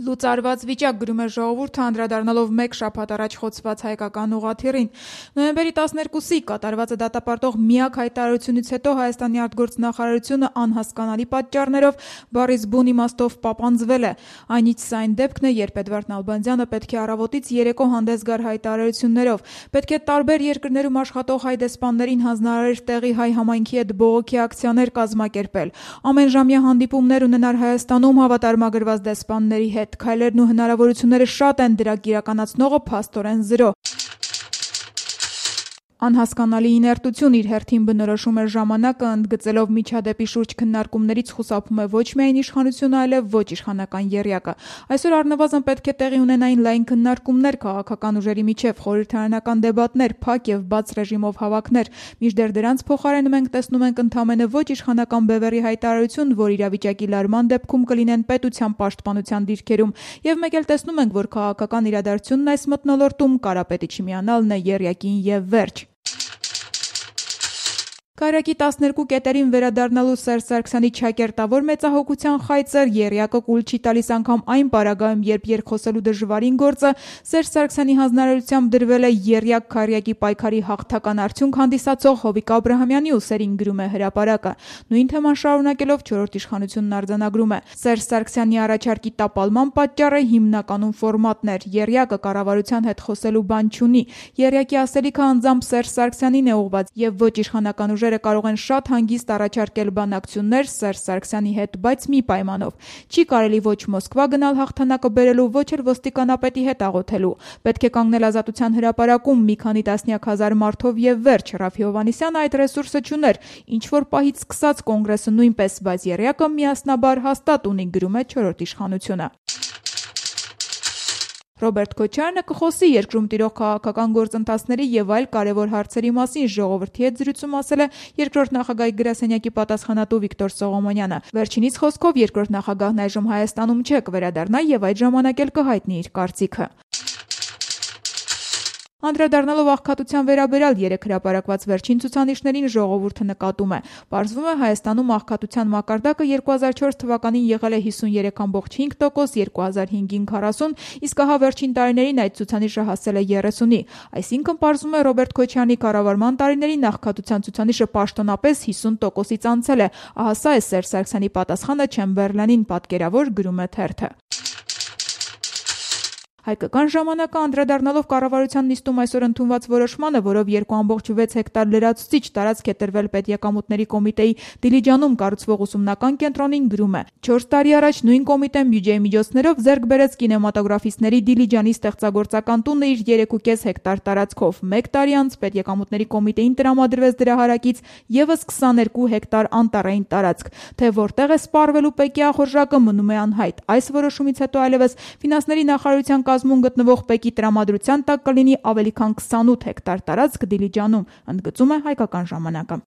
Լուծարված վիճակ, գրում է Ժողովուրդը, անդրադառնալով մեկ շաբաթ առաջ խոցված հայկական ուղղաթիռին։ Նոյեմբերի 12-ի կատարվածը դատապարտող միակ հայտարարությունից հետո Հայաստանի արտգործնախարարությունը անհասկանալի պատճառներով բառից բուն իմաստով պապանձվել է։ Այնից սա այն դեպքն է, երբ Էդվարդ Նալբանդյանը պետք է առավոտից երեկո հանդես գար հայտարարություններով։ Պետք է տարբեր երկրներում աշխատող հայ դեսպաններին հանձնարարեր տեղի հայ համայնքի հետ բողոքի ակցիաներ կազմակերպել, ամենժամյա հանդիպումներ ունենար Հայաստանում հավատարմագրված դեսպանների հետ։ Քայլերն ու հնարավորությունները շատ են, դրանք իրականացնողը փաստորեն զրո։ Անհասկանալի իներտություն իր հերթին բնորոշում է ժամանակը, ընդգծելով միջադեպի շուրջ քննարկումներից խուսափում է ոչ միայն իշխանությունը, այլև ոչ իշխանական եռյակը։ Այսօր առնվազն պետք է տեղի ունենային լայն քննարկումներ, քաղաքական ուժերի միջև խորհրդարանական դեբատներ, փակ եւ բաց ռեժիմով հավաքներ։ Մինչդեռ դրանց փոխարեն մենք տեսնում ենք ընդամենը ոչ իշխանական բևեռի հայտարարություն, որ իրավիճակի լարման դեպքում կլինեն պետության պաշտպանության դիրքերում, եւ մեկ էլ տեսնում ենք, որ քաղաքական իրադարձությունն այս մթնոլորտում Կարապետի չմիանալն է եռյակին եւ վերջ։ Կայրակի 12 կետերին վերադառնալու Սերժ Սարգսյանի չակերտավոր մեծահոգության խայծեր եռյակը կուլ չի տալիս անգամ այն պարագայում, երբ երկխոսելու դժվարին գործը Սերժ Սարգսյանի հանձնարարությամբ դրվել է եռյակ-քառյակի պայքարի հաղթական արդյունք հանդիսացող Հովիկ Աբրահամյանի ուսերին, գրում է Հրապարակը։ Նույն թեման շարունակելով չորրորդ իշխանությունն արձանագրում է. Սերժ Սարգսյանի առաջարկի տապալման պատճառը հիմնականում ֆորմատն էր։ Եռյակը կառավարության հետ խոսելու բան չունի։ Եռյակի ասելիքը անձամբ Սերժ Սարգսյանին է ուղղված եւ ոչ իշխանական ուժերը կարող են շատ հանգիստ առաջարկել բանակցություններ Սերժ Սարգսյանի հետ, բայց մի պայմանով. չի կարելի ոչ Մոսկվա գնալ հաղթանակը բերելու, ոչ էլ ոստիկանապետի հետ աղոթելու։ Պետք է կանգնել Ազատության հրապարակում մի քանի տասնյակ հազար մարդով եւ վերջ։ Ռաֆի Հովհաննիսյանը այդ ռեսուրսը չուներ, ինչ որ պահից սկսած Կոնգրեսը նույնպես, բայց եռյակը միասնաբար հաստատ ունի, գրում է չորրորդ իշխանությունը։ Ռոբերտ Քոչարյանը կխոսի երկրում տիրող քաղաքական գործընթացների եւ այլ կարեւոր հարցերի մասին, Ժողովրդի հետ զրույցում ասել է երկրորդ նախագահի գրասենյակի պատասխանատու Վիկտոր Սողոմոնյանը։ Վերջինիս խոսքով երկրորդ նախագահն այժմ Հայաստանում չէ, կվերադառնա եւ այդ ժամանակ էլ կհայտնի իր կարծիքը։ Անդրադառնալով աղքատության վերաբերյալ երեք հրապարակված վերջին ցուցանիշներին Ժողովուրդը նկատում է. Պարզվում է Հայաստանում աղքատության մակարդակը 2004 թվականին եղել է 53.5%, 2005-ին 40%, իսկ ահա վերջին տարիներին այդ ցուցանիշը հասել է 30-ի։ Այսինքն պարզվում է Ռոբերտ Քոչարյանի կառավարման տարիներին աղքատության ցուցանիշը պաշտոնապես 50%-ից անցել է։ Ահա սա է Սերժ Սարգսյանի պատասխանը Չեմբերլենին, պատկերավոր, գրում է թերթը։ Հայկական ժամանակը անդրադառնալով կառավարության նիստում այսօր ընդունված որոշմանը, որով 2.6 հեկտար լրացուցիչ տարածք է տրվել Պետեկամուտների կոմիտեի Դիլիջանում կառուցվող ուսումնական կենտրոնին, գրում է. 4 տարի առաջ նույն կոմիտեն բյուջեի միջոցներով ձեռք բերեց կինեմատոգրաֆիստների Դիլիջանի ստեղծագործական տունը իր 3.5 հեկտար տարածքով։ 1 տարի անց Պետեկամուտների կոմիտեին տրամադրվեց դրա հարակից եւս 22 հեկտար անտառային տարածք։ Թե որտեղ է սպառվելու ՊԿ ախորժակը մնում է անհայտ։ Այս որոշումից հետո այլևս ֆինանսների նախարարության կազմում գտնվող ՊԿ տրամադրության տակ կլինի ավելի քան 28 հեկտար տարածք Դիլիջանում, ընդգծում է Հայկական ժամանակը։